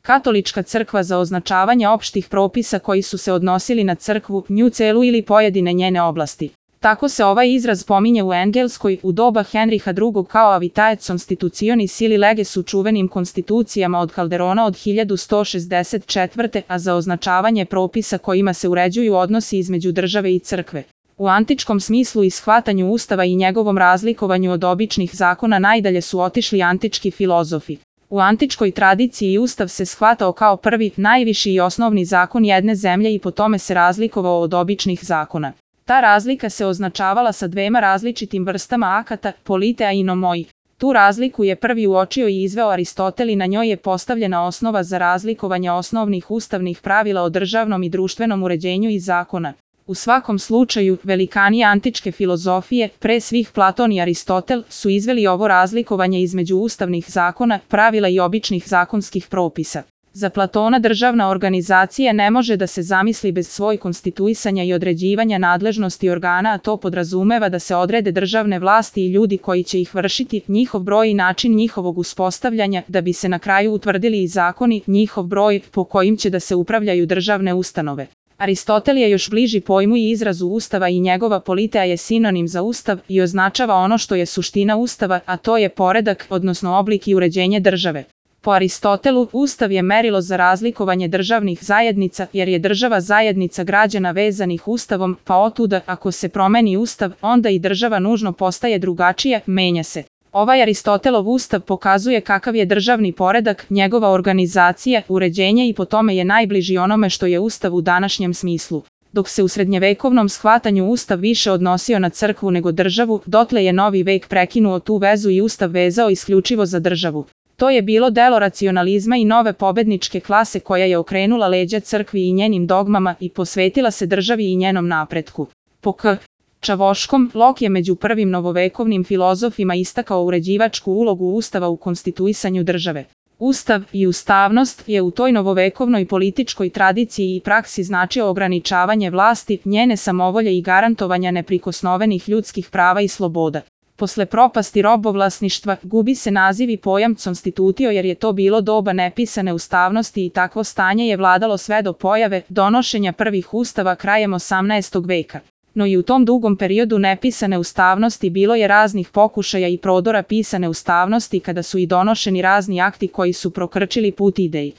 Katolička crkva za označavanje opštih propisa koji su se odnosili na crkvu, nju celu ili pojedine njene oblasti. Tako se ovaj izraz pominje u Engleskoj u doba Henriha II kao Avitaet Constitutionis ili leges u čuvenim konstitucijama od Calderona od 1164. a za označavanje propisa kojima se uređuju odnosi između države i crkve. U antičkom smislu i shvatanju Ustava i njegovom razlikovanju od običnih zakona najdalje su otišli antički filozofi. U antičkoj tradiciji Ustav se shvatao kao prvi, najviši i osnovni zakon jedne zemlje i po tome se razlikovao od običnih zakona. Ta razlika se označavala sa dvema različitim vrstama akata, politea i nomoi. Tu razliku je prvi uočio i izveo Aristotel i na njoj je postavljena osnova za razlikovanje osnovnih ustavnih pravila o državnom i društvenom uređenju i zakona. U svakom slučaju, velikani antičke filozofije, pre svih Platon i Aristotel, su izveli ovo razlikovanje između ustavnih zakona, pravila i običnih zakonskih propisa. Za Platona državna organizacija ne može da se zamisli bez svoj konstituisanja i određivanja nadležnosti organa, a to podrazumeva da se odrede državne vlasti i ljudi koji će ih vršiti, njihov broj i način njihovog uspostavljanja, da bi se na kraju utvrdili i zakoni, njihov broj po kojim će da se upravljaju državne ustanove. Aristotel je još bliži pojmu i izrazu Ustava i njegova politea je sinonim za Ustav i označava ono što je suština Ustava, a to je poredak, odnosno oblik i uređenje države. Po Aristotelu, Ustav je merilo za razlikovanje državnih zajednica, jer je država zajednica građana vezanih Ustavom, pa otuda, ako se promeni Ustav, onda i država nužno postaje drugačija, menja se. Ovaj Aristotelov Ustav pokazuje kakav je državni poredak, njegova organizacija, uređenje i po tome je najbliži onome što je Ustav u današnjem smislu. Dok se u srednjevekovnom shvatanju Ustav više odnosio na crkvu nego državu, dotle je novi vek prekinuo tu vezu i Ustav vezao isključivo za državu. To je bilo delo racionalizma i nove pobedničke klase koja je okrenula leđa crkvi i njenim dogmama i posvetila se državi i njenom napretku. Po K. Čavoškom, Locke je među prvim novovekovnim filozofima istakao uređivačku ulogu Ustava u konstituisanju države. Ustav i ustavnost je u toj novovekovnoj političkoj tradiciji i praksi značio ograničavanje vlasti, njene samovolje i garantovanja neprikosnovenih ljudskih prava i sloboda. Posle propasti robovlasništva, gubi se naziv i pojam constitutio jer je to bilo doba nepisane ustavnosti i takvo stanje je vladalo sve do pojave donošenja prvih ustava krajem 18. veka. No i u tom dugom periodu nepisane ustavnosti bilo je raznih pokušaja i prodora pisane ustavnosti kada su i donošeni razni akti koji su prokrčili put ideji.